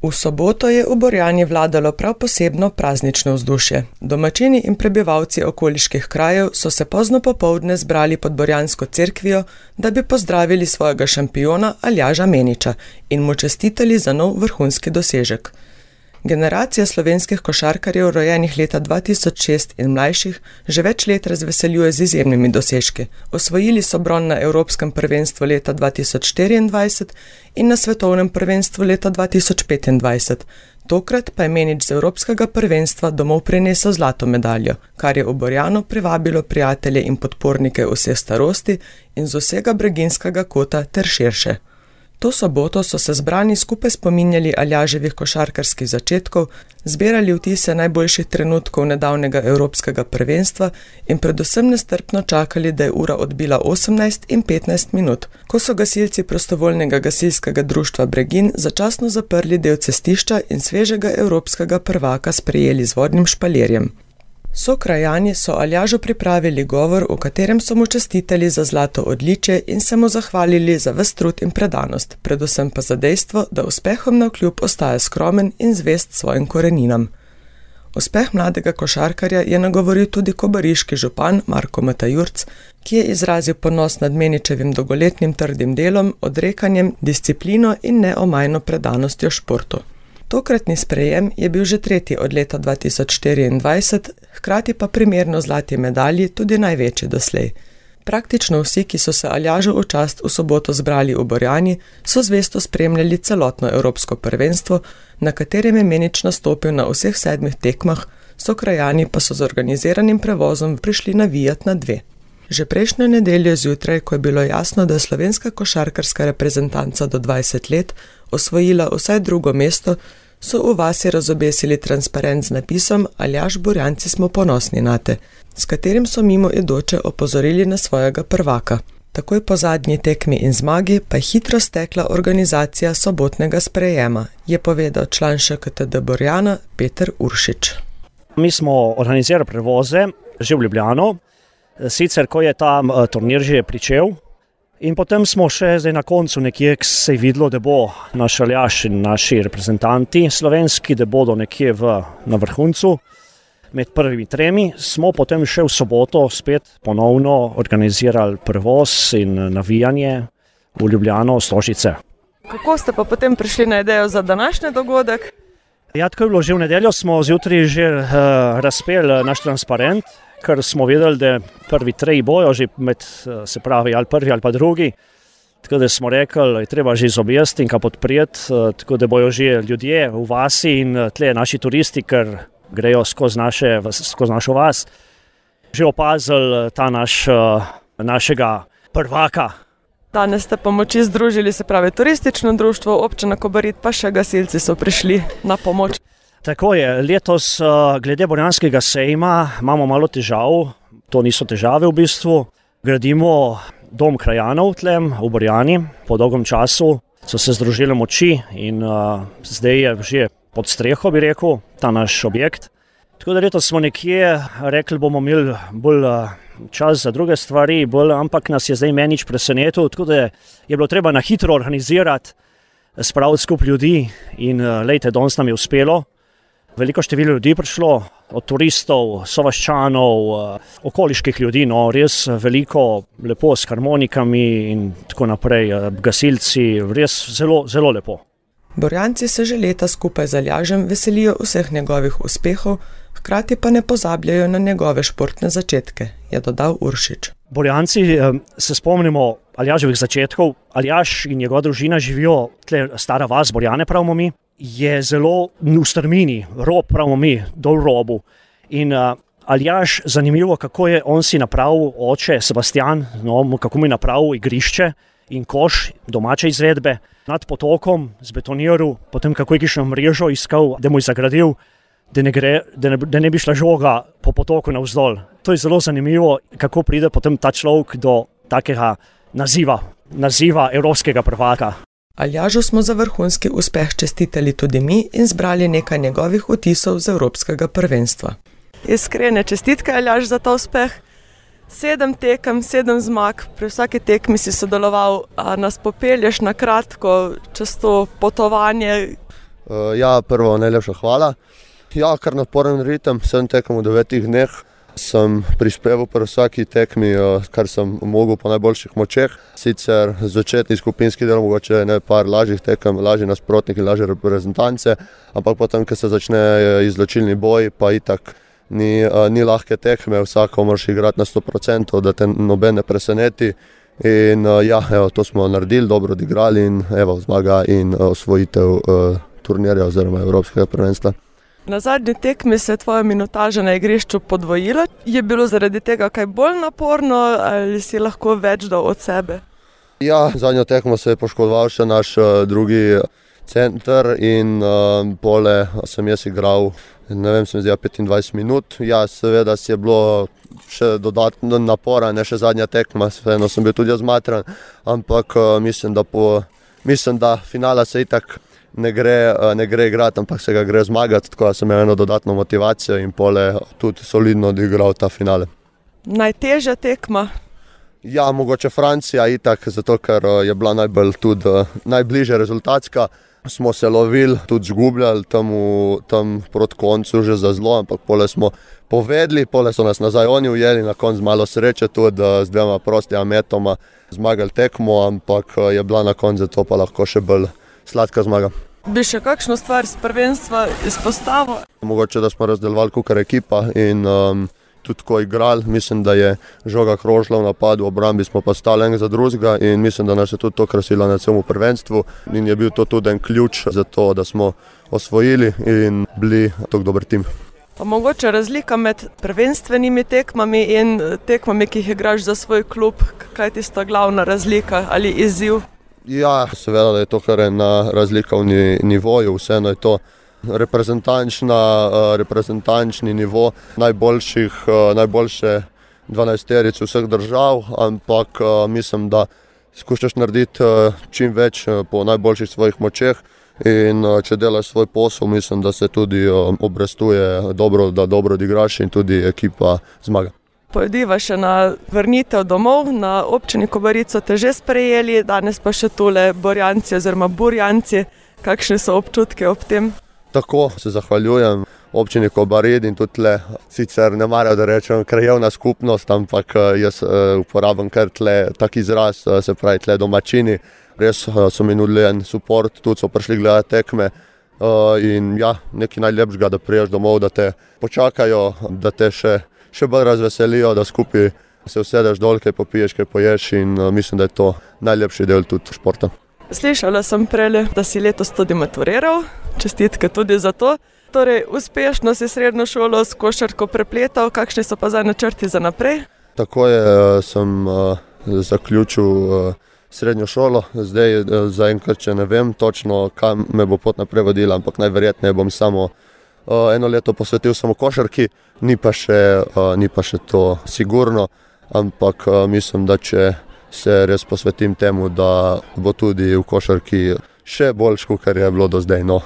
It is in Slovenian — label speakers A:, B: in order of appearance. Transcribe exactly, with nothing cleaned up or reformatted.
A: V soboto je v Borjani vladalo prav posebno praznično vzdušje. Domačini in prebivalci okoliških krajev so se pozno popoldne zbrali pod Borjansko cerkvijo, da bi pozdravili svojega šampiona Aljaža Meniča in mu čestitali za nov vrhunski dosežek. Generacija slovenskih košarkarjev, rojenih leta dva tisoč šest in mlajših, že več let razveseljuje z izjemnimi dosežki. Osvojili so bron na Evropskem prvenstvu leta dva tisoč štiriindvajset in na Svetovnem prvenstvu leta dva tisoč petindvajset. Tokrat pa je Menič z Evropskega prvenstva domov prinesel zlato medaljo, kar je v Borjano privabilo prijatelje in podpornike vseh starosti in z vsega breginskega kota ter širše. To soboto so se zbrani skupaj spominjali Aljaževih košarkarskih začetkov, zbirali vtise najboljših trenutkov nedavnega Evropskega prvenstva in predvsem nestrpno čakali, da je ura odbila osemnajst in petnajst minut, ko so gasilci prostovoljnega gasilskega društva Bregin začasno zaprli del cestišča in svežega evropskega prvaka sprejeli z vodnim špalirjem. Sokrajani so Aljažu pripravili govor, v katerem so mu čestitali za zlato odličje in se mu zahvalili za ves trud in predanost, predvsem pa za dejstvo, da uspehom navkljub ostaja skromen in zvest svojim koreninam. Uspeh mladega košarkarja je nagovoril tudi kobariški župan Marko Matajurc, ki je izrazil ponos nad Meničevim dolgoletnim trdim delom, odrekanjem, disciplino in neomajno predanostjo športu. Tokratni sprejem je bil že tretji od leta dva tisoč štiriindvajset, hkrati pa primerno zlati medalji tudi največji doslej. Praktično vsi, ki so se Aljažu v čast v soboto zbrali v Borjani, so zvesto spremljali celotno Evropsko prvenstvo, na katerem je Menič nastopil na vseh sedmih tekmah, Sokrajani pa so z organiziranim prevozom prišli navijat na dve. Že prejšnjo nedeljo zjutraj, ko je bilo jasno, da je slovenska košarkarska reprezentanca do dvajset let osvojila vsaj drugo mesto, so v vasi razobesili transparent z napisom Aljaž, Borjanci smo ponosni nate, s katerim so mimo idoče opozorili na svojega prvaka. Takoj po zadnji tekmi in zmagi pa je hitro stekla organizacija sobotnega sprejema, je povedal član Š K T D Borjana Peter Uršič.
B: Mi smo organizirali prevoze že v Ljubljano, sicer ko je ta turnir že pričel, in potem smo še zdaj na koncu nekje, ko se je videlo, da bo naš Aljaž in naši reprezentanti slovenski, da bodo nekje v, na vrhuncu med prvimi tremi, smo potem še v soboto spet ponovno organizirali prevoz in navijanje v Ljubljano, Stožice.
A: Kako ste pa potem prišli na idejo za današnji dogodek?
B: Ja, tako je bilo, že v nedeljo smo zjutraj že uh, razpeli naš transparent, ker smo vedeli, da prvi treji bojo že med, se pravi, ali prvi ali pa drugi. Tako da smo rekli, je treba že izobjesti in ka podprijeti, tako da bojo že ljudje v vasi in tle naši turisti, ker grejo skozi, naše, skozi našo vas, že opazili ta naš, našega prvaka.
A: Danes ste pomoči združili, se pravi turistično društvo, občina Kobarid, pa še gasilci so prišli na pomoč.
B: Tako je, letos glede Borjanskega sejma imamo malo težav, to niso težave v bistvu. Gradimo dom krajanov tlem v Borjani, po dolgom času so se združili moči in uh, zdaj je že pod streho, bi rekel, ta naš objekt. Tako da letos smo nekje rekli, bomo imeli bolj uh, čas za druge stvari, bolj, ampak nas je zdaj Menič presenetil, tako da je bilo treba na hitro organizirati, spraviti skup ljudi in uh, lejte, danes nam je uspelo. Veliko število ljudi prišlo, od turistov, sovaščanov, okoliških ljudi, no res veliko, lepo s harmonikami in tako naprej, gasilci, res zelo, zelo lepo.
A: Borjanci se že leta skupaj z Aljažem veselijo vseh njegovih uspehov, hkrati pa ne pozabljajo na njegove športne začetke, je dodal Uršič.
B: Borjanci se spomnimo Aljaževih začetkov, Aljaž in njegova družina živijo tle stara vas, Borjane pravimo mi, je zelo v strmini, rob pravimo mi, dol robu. In uh, Aljaž, zanimivo, kako je on si napravil, oče Sebastian, no, kako mu je napravil igrišče in koš domače izvedbe nad potokom, zbetoniral, potem kako je kišno mrežo iskal, da mu je zagradil, da ne, gre, da ne, da ne bi šla žoga po potoku navzdol. To je zelo zanimivo, kako pride potem ta človek do takega naziva, naziva evropskega prvaka.
A: Aljažu smo za vrhunski uspeh čestitali tudi mi in zbrali nekaj njegovih vtisov z Evropskega prvenstva. Iskrene čestitke, Aljaž, za ta uspeh. Sedem tekem, sedem zmag, pri vsaki tekmi si sodeloval, a nas popelješ na kratko čez to potovanje.
C: Uh, ja, prvo najlepša hvala. Ja, kar naporen ritem, sem tekel v devetih dneh. Sem prispeval pri vsaki tekmi, kar sem mogel po najboljših močeh. Sicer začetni skupinski del, mogoče ne par lažjih tekem, lažji nasprotniki, lažje reprezentance, ampak potem, ko se začne izločilni boj, pa itak ni, ni lahke tekme, vsako moraš igrati na sto procentov, da te noben ne preseneti. In ja, evo, to smo naredili, dobro odigrali in evo, zmaga in osvojitev uh, turnirja oziroma Evropskega prvenstva.
A: Na zadnji tekmi se je tvoja minutaža na igrišču podvojila. Je bilo zaradi tega kaj bolj naporno ali si lahko več dal od sebe?
C: Ja, zadnjo tekmo se je poškodoval še naš uh, drugi center in uh, pole sem jaz igral, ne vem, sem zdaj petindvajset minut. Ja, seveda si je bilo še dodatno napora, ne še zadnja tekma, vseeno sem bil tudi jaz zmatran, ampak uh, mislim, da po, mislim, da finala se itak ne gre, ne gre igrati, ampak se ga gre zmagati, tako da sem imel eno dodatno motivacijo in pole tudi solidno odigral ta finale.
A: Najtežja tekma?
C: Ja, mogoče Francija itak, zato ker je bila najbolj tudi najbližje rezultatska. Smo se lovili, tudi zgubljali tam, v, tam proti koncu že za zlo, ampak pole smo povedli, pole so nas nazaj oni ujeli, na koncu malo sreče tudi z dvema prostima metoma zmagali tekmo, ampak je bila na koncu to pa lahko še bolj sladka zmaga.
A: Bi še kakšno stvar z prvenstva izpostavil?
C: Mogoče, da smo razdelovali kakor ekipa in um, tudi ko igrali, mislim, da je žoga krožila v napadu, v obrambi smo pa stali enega za drugega in mislim, da nas je tudi to krasilo na celem prvenstvu in je bil to tudi en ključ za to, da smo osvojili in bili tako dober tim.
A: Pa mogoče razlika med prvenstvenimi tekmami in tekmami, ki jih igraš za svoj klub, kaj je tista glavna razlika ali izziv?
C: Ja, seveda, da je to kar ena razlika v nivoju, vseeno je to reprezentančna, reprezentančni nivo najboljših, najboljše dvanajsteric vseh držav, ampak mislim, da skušaš narediti čim več po najboljših svojih močeh in če delaš svoj posel, mislim, da se tudi obrestuje dobro, da dobro odigraš in tudi ekipa zmaga.
A: Pojdiva še na vrnitev domov, na občini Kobarico te že sprejeli, danes pa še tole Borjanci oziroma Burjanci. Kakšne so občutke ob tem?
C: Tako se zahvaljujem občini Kobarid in tudi tle, sicer ne marajo, da rečem krajevna skupnost, ampak jaz uporabim kar tle tak izraz, se pravi tle domačini. Res so mi nudili en support, tudi so prišli gledati tekme in ja, nekaj najlepšega, da priješ domov, da te počakajo, da te še še bolj razveselijo, da skupaj se usedeš dol, kaj popiješ, kaj poješ in uh, mislim, da je to najlepši del tudi športa.
A: Slišala sem prej, da si letos tudi maturiral, čestitke tudi za to. Torej, uspešno si srednjo šolo s košarko prepletal, kakšni so pa zdaj načrti za naprej?
C: Tako je, sem uh, zaključil uh, srednjo šolo, zdaj uh, zaenkrat, če ne vem točno, kam me bo pot naprej vodila, ampak najverjetneje bom samo Uh, eno leto posvetil samo košarki, ni pa še, uh, ni pa še to sigurno, ampak uh, mislim, da če se res posvetim temu, da bo tudi v košarki še boljš, kot je bilo do zdaj. No.